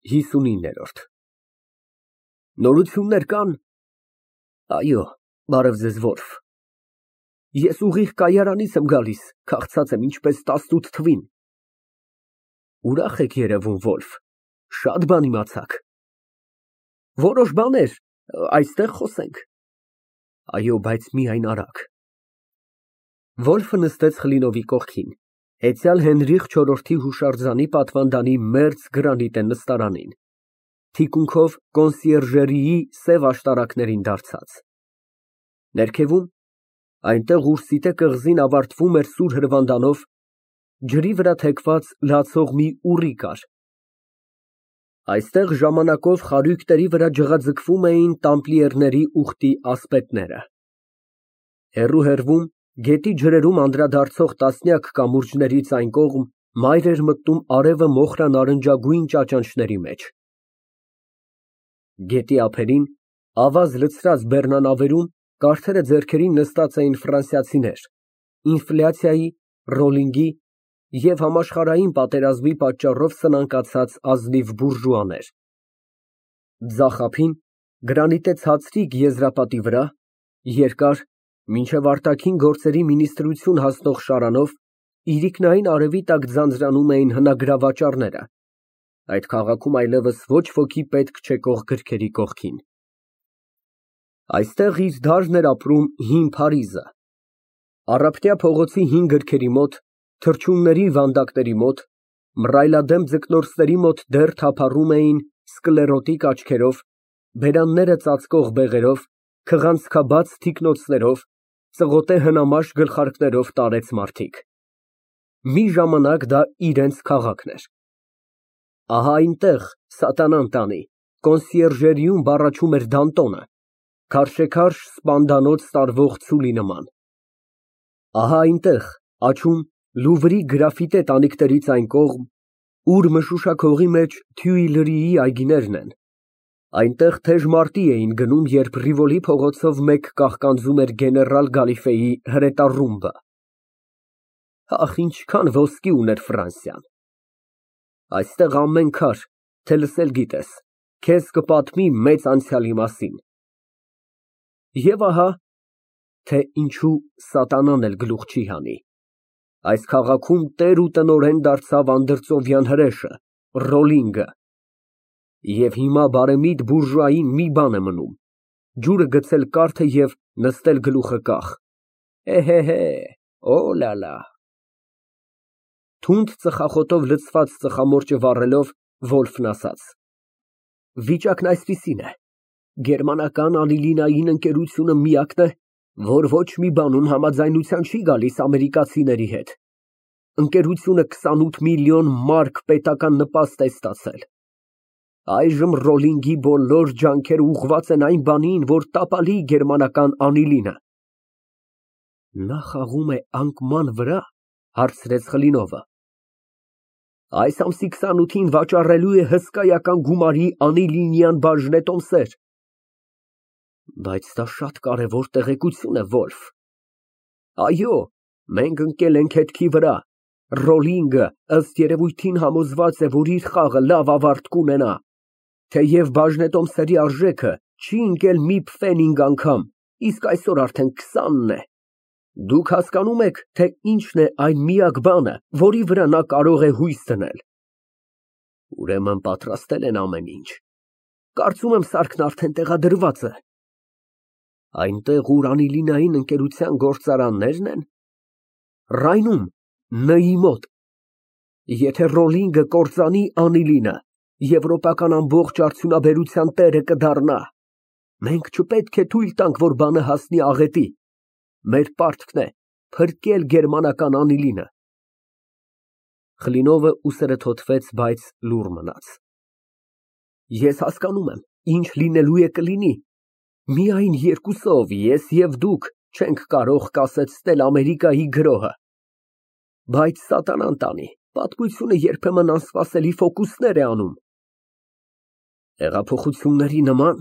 59 Նորություններ կան։ Այո, բարև ձեզ, Վոլֆ։ Ես ուղիղ կայարանից եմ գալիս, քաղցած եմ ինչպես 18 թվին։ Ուրախ եք երևում, Վոլֆ, շատ բան իմացաք։ Որոշ բաներ, այստեղ խոսենք։ Այո, բայց միայն արագ։ Վոլֆը նստեց Խլինովի կողքին, հեծյալ Հենրիխ IV-ի հուշարձանի պատվանդանի մերձ գրանիտե նստարանին, թիկունքով կոնսիերժերիի սև աշտարակներին դարձած։ Ներքևում, այնտեղ, ուր սիտե կղզին ավարտվում էր սուր հրվանդանով, ջրի վրա թեքված լացող մի ուռի կար։ Այստեղ ժամանակով խարույկների վրա ջղաձգվում էին տամպլիերների ուխտի ասպետները։ Հեռու գետի ջրերում անդրադարձող տասնյակ կամուրջներից այն կողմ մայր էր մտնում արևը մոխրանարնջագույն ճաճանճների մեջ։ Գետի ափերին, ավազ լցրած բեռնանավերում կարթերը ձեռքերին նստած էին ֆրանսիացիներ, ինֆլյացիայի, ռոլինգի և համաշխարհային պատերազմի պատճառով սնանկացած ազնիվ բուրժուաներ։ Ձախ ափին, գրանիտե ցածրիկ եզրապատի վրա, երկար, մինչև արտաքին գործերի մինիստրություն հասնող շարանով, իրիկնային արևի տակ ձանձրանում էին հնագրավաճառները, այդ քաղաքում այլևս ոչ ոքի պետք չեկող գրքերի կողքին։ Այստեղ իր դարն էր ապրում հին Փարիզը։ Առափնյա փողոցի հին գրքերի մոտ, թռչունների վանդակների մոտ, մռայլադեմ ձկնորսների մոտ դեռ թափառում էին սկլերոտիկ աչքերով, բերանները ծածկող բեղերով, քղանցքաբաց թիկնոցներով, ծղոտե հնամաշ գլխարկներով տարեց մարդիկ։ Մի ժամանակ դա իրենց քաղաքն էր։ Ահա այնտեղ, սատանան տանի, կոնսիերժերիում բառաչում էր Դանտոնը, քարշեքարշ սպանդանոց տարվող ցուլի նման։ Ահա այնտեղ, աջում, Լուվրի գրաֆիտե տանիքներից այն կողմ, ուր մշուշակողի մեջ Թյուիլրիի այգիներն են, այնտեղ թեժ մարտի էին գնում, երբ Ռիվոլի փողոցով մեկ կաղկանձում էր գեներալ Գալիֆեի հրետառումբը։ Ախ, ինչքան ոսկի ուներ Ֆրանսիան։ Այստեղ ամեն քար, թե լսել գիտես, քեզ կպատմի մեծ անցյալի մասին։ Եվ ահա, թե ինչու սատանան էլ գլուխ չի հանի, այս քաղաքում տեր ու տնօրեն դարձավ անդրծովյան հրեշը, Ռոլինգը։ Եվ հիմա բարեմիտ բուրժուային մի բան է մնում, ջուրը գցել կարթը և նստել գլուխը կախ։ Էհեհե, օլալա։ Թունդ ծխախոտով լցված ծխամորճը վառելով, Վոլֆն ասաց. Վիճակն այսպիսին է, գերմանական անիլինային ընկերությունը միակն է, որ ոչ մի բանում համաձայնության չի գալիս ամերիկացիների հետ։ Ընկերությունը 28 միլիոն մարկ պետական նպաստ է ստացել։ Այժմ Ռոլինգի բոլոր ջանքերը ուղղված են այն բանին, որ տապալի գերմանական անիլինը։ Նա խաղում է անկման վրա, հարցրեց Խլինովը։ Այս ամսի 28-ին վաճառելու է հսկայական գումարի անիլինյան բաժնետոմսեր։ Բայց դա շատ կարևոր տեղեկություն է, Վոլֆ։ Այո, մենք ընկել ենք հետքի վրա։ Ռոլինգը, ըստ երևույթին, համոզված է, որ իր խաղը լավ ավարտ կունենա, թեև բաժնետոմսերի արժեքը չի ընկել մի փֆենինգ անգամ, իսկ այսօր արդեն 20-ն է։ Դուք հասկանում եք, թե ինչն է այն միակ բանը, որի վրա նա կարող է հույս դնել։ Ուրեմն պատրաստել են ամեն ինչ։ Կարծում եմ սարքն արդեն տեղադրված է։ Այնտեղ, ուր անիլինային ընկերության գործարաններն են։ Ռայնում, Ն-ի մոտ։ Եթե Ռոլինգը կործանի անիլինը, եվրոպական ամբողջ արդյունաբերության տերը կդառնա։ Մենք չպետք է թույլ տանք, որ բանը հասնի աղետի։ Մեր պարտքն է փրկել գերմանական անիլինը։ Խլինովը ուսերը թոթվեց, բայց լուռ մնաց։ Ես հասկանում եմ, ինչ լինելու է կլինի։ Միայն երկուսով, ես և դուք, չենք կարող կասեցնել Ամերիկայի գրոհը։ Բայց սատանան տանի, պատմությունը երբեմն անսպասելի ֆոկուսներ է անում։ Հեղափոխությունների նման։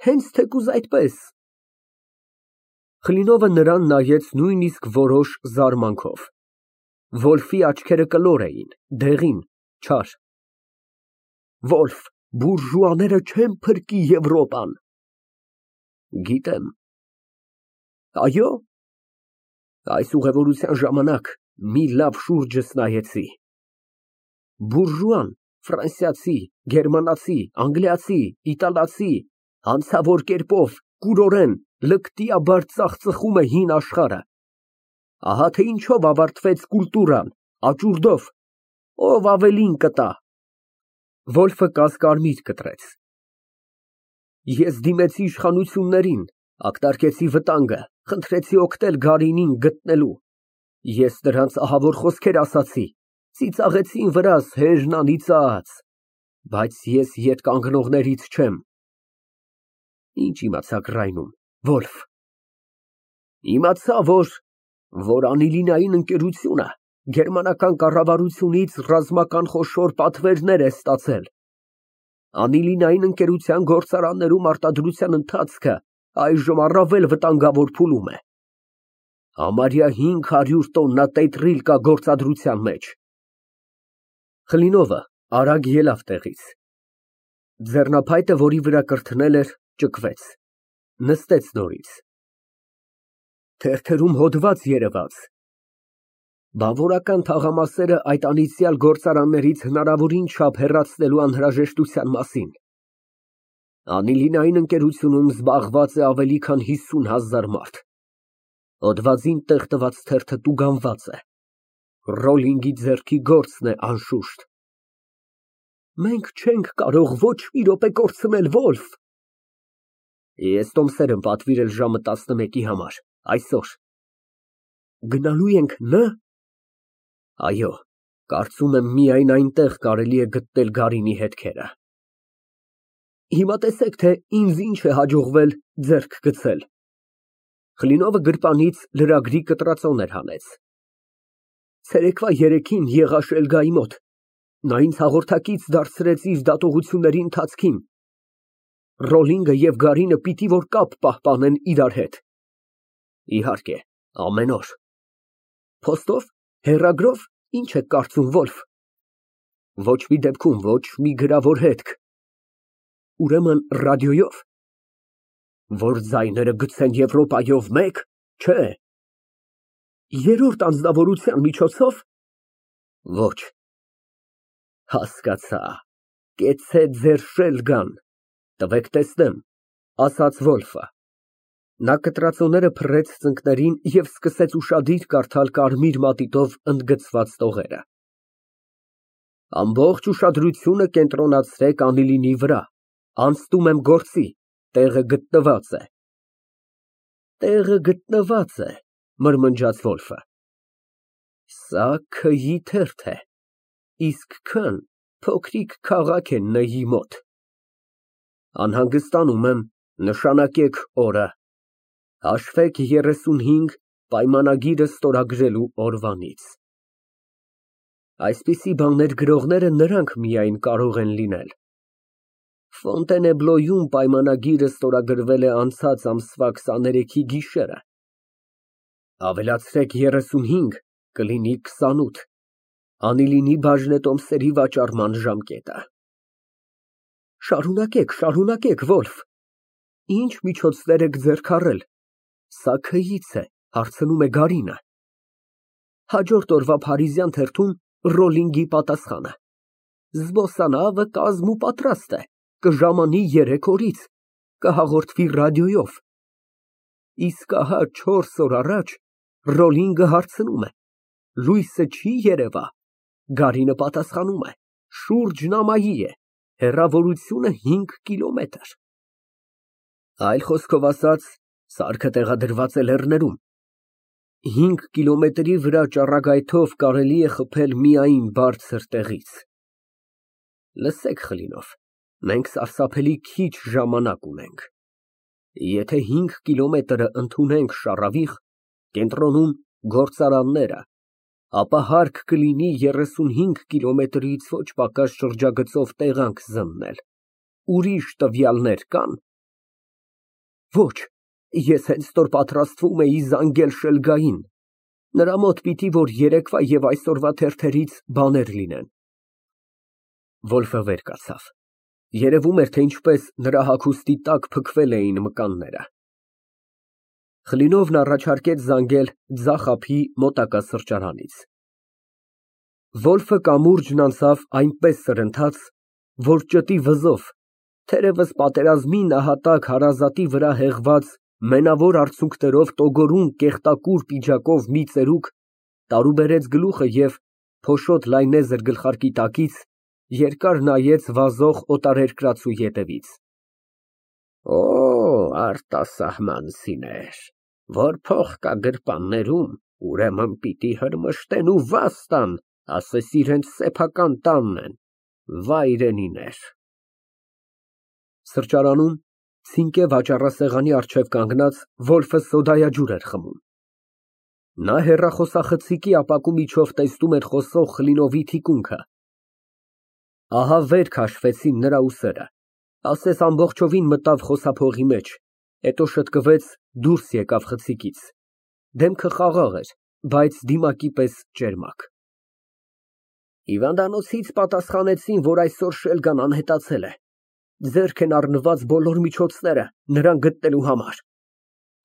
Հենց թեկուզ այդպես։ Խլինովը նրան նայեց նույնիսկ որոշ զարմանքով։ Վոլֆի աչքերը կլոր էին, դեղին, չար։ Վոլֆ, բուրժուաները չեն փրկի Եվրոպան։ Գիտեմ։ Այո։ Այս ուղևորության ժամանակ մի լավ շուրջս նայեցի։ Բուրժուան, ֆրանսիացի, գերմանացի, անգլիացի, իտալացի, հանցավոր կերպով, կուրորեն, լկտիաբար ծախծխում է հին աշխարհը։ Ահա թե ինչով ավարտվեց կուլտուրան, աճուրդով, ով ավելին կտա։ Վոլֆը կասկարմիր կտրեց։ Ես դիմեցի իշխանություններին, ակտարկեցի վտանգը, խնդրեցի օգնել Գարինին գտնելու։ Ես նրանց ահավոր խոսքեր ասացի, ծիծաղեցին վրաս հեժն անիծած, բայց ես ետ կանգնողներից չեմ։ Ինչ իմացաք Ռայնում, Վոլֆ։ Իմացա, որ անիլինային ընկերությունը գերմանական կառավարությունից ռազմական խոշոր պատվերներ է ստացել։ Անիլինային ընկերության գործարաններում արտադրության ընթացքը այժմ առավել վտանգավոր փուլում է։ Համարյա 500 տոննա տետրիլ կա գործադրության մեջ։ Խլինովը արագ ելավ տեղից։ Ձեռնափայտը, որի վրա կրթնել էր, ճկվեց, նստեց նորից։ Թերթերում հոդված երևաց։ Բանվորական թաղամասերը այդ անիծյալ գործարաններից հնարավորին չափ հեռացնելու անհրաժեշտության մասին։ Անիլինային ընկերությունում զբաղված է ավելի քան 50,000 մարդ։ Հոդվածին տեղ տված թերթը տուգանված է։ Ռոլինգի ձեռքի գործն է անշուշտ։ Մենք չենք կարող ոչ մի րոպե կորցնել, Վոլֆ։ Ես տոմսեր եմ պատվիրել ժամը 11-ի համար, այսօր։ Գնալու ենք Ն։ Այո, կարծում եմ միայն այնտեղ կարելի է գտնել Գարինի հետքերը։ Հիմա տեսեք, թե ինձ ինչ է հաջողվել ձեռք գցել։ Խլինովը գրպանից լրագրի կտրածոներ հանեց։ Ցերեկվա 3-ին եղա Շելգայի մոտ։ Նա ինձ հաղորդակից դարձրեց իր դատողությունների ընթացքին։ Ռոլինգը և Գարինը պիտի որ կապ պահպանեն իրար հետ։ Իհարկե, ամեն օր։ Փոստով, հեռագրով, ինչ եք կարծում, Վոլֆ։ Ոչ մի դեպքում, ոչ մի գրավոր հետք։ Ուրեմն ռադիոյով։ Որ ձայները գցեն Եվրոպայով մեկ, չէ։ Երրորդ անձնավորության միջոցով։ Ոչ։ Հասկացա։ Կեցցե ձեր Շելգան։ Տվեք տեսնեմ, ասաց Վոլֆը։ Նա կտրածոները փռեց ծնկներին և սկսեց ուշադիր կարդալ կարմիր մատիտով ընդգծված տողերը։ Ամբողջ ուշադրությունը կենտրոնացրեք անիլինի վրա, անցնում եմ գործի, տեղը գտնված է։ Տեղը գտնված է, մրմնջաց Վոլֆը։ Սա Ք-ի թերթ է, իսկ Ք-ն փոքրիկ քաղաք է Ն-ի մոտ։ Անհանգստանում եմ, նշանակեք օրը։ Հաշվեք 35 պայմանագիրը ստորագրելու օրվանից։ Այսպիսի բաներ գրողները նրանք միայն կարող են լինել։ Ֆոնտենեբլոյում պայմանագիրը ստորագրվել է անցած ամսվա 23-ի գիշերը։ Ավելացրեք 35, կլինի 28։ Անիլինի բաժնետոմսերի վաճառման ժամկետը։ Շարունակեք, Վոլֆ։ Ինչ միջոցներ եք ձեռք առել։ Սա Ք-ից է, հարցնում է Գարինը։ Հաջորդ օրվա փարիզյան թերթում Ռոլինգի պատասխանը։ Զբոսանավը կազմ ու պատրաստ է, կժամանի 3 օրից, կհաղորդվի ռադիոյով։ Իսկ ահա 4 օր առաջ Ռոլինգը հարցնում է. լույսը չի երևա։ Գարինը պատասխանում է. շուրջն ամայի է, հեռավորությունը 5 կիլոմետր։ Այլ խոսքով ասած, սարքը տեղադրված է լեռներում։ 5 կիլոմետրի վրա ճառագայթով կարելի է խփել միայն բարձր տեղից։ Լսեք, Խլինով, մենք սարսափելի քիչ ժամանակ ունենք։ Եթե 5 կիլոմետրը ընդունենք շառավիղ, կենտրոնում գործարանները, ապա հարկ կլինի 35 կիլոմետրից ոչ պակաս շրջագծով տեղանք զննել։ Ուրիշ տվյալներ կան։ Ոչ, ես հենց նոր պատրաստվում էի զանգել Շելգային։ Նրա մոտ պիտի որ երեկվա և այսօրվա թերթերից բաներ լինեն։ Վոլֆը վեր կացավ։ Երևում էր, թե ինչպես նրա հագուստի տակ փքվել էին մկանները։ Խլինովն առաջարկեց զանգել ձախ ափի մոտակա սրճարանից։ Վոլֆը կամուրջն անցավ այնպես սրընթաց, որ ճտի վզով, թերևս պատերազմի նահատակ հարազատի վրա հեղված մենավոր արցունքներով տոգորուն կեղտակուր պիջակով մի ծերուկ տարուբերեց գլուխը և փոշոտ լայնեզր գլխարկի տակից երկար նայեց վազող օտարերկրացու ետևից։ Օ, արտասահմանցիներ, որ փող կա գրպաններում, ուրեմն պիտի հրմշտեն ու վազ տան, ասես իրենց սեփական տանն են, վայրենիներ։ Սրճարանում, ցինկե վաճառասեղանի առջև կանգնած, Վոլֆը սոդայաջուր էր խմում։ Նա հեռախոսախցիկի ապակու միջով տեսնում էր խոսող Խլինովի թիկունքը։ Ահա վեր քաշվեցին նրա ուսերը, ասես ամբողջովին մտավ խոսափողի մեջ, հետո շտկվեց, դուրս եկավ խցիկից։ Դեմքը խաղաղ էր, բայց դիմակի պես ճերմակ։ Հիվանդանոցից պատասխանեցին, որ այսօր Շելգան անհետացել է։ Ձեռք են առնված բոլոր միջոցները նրան գտնելու համար։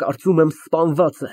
Կարծում եմ սպանված է։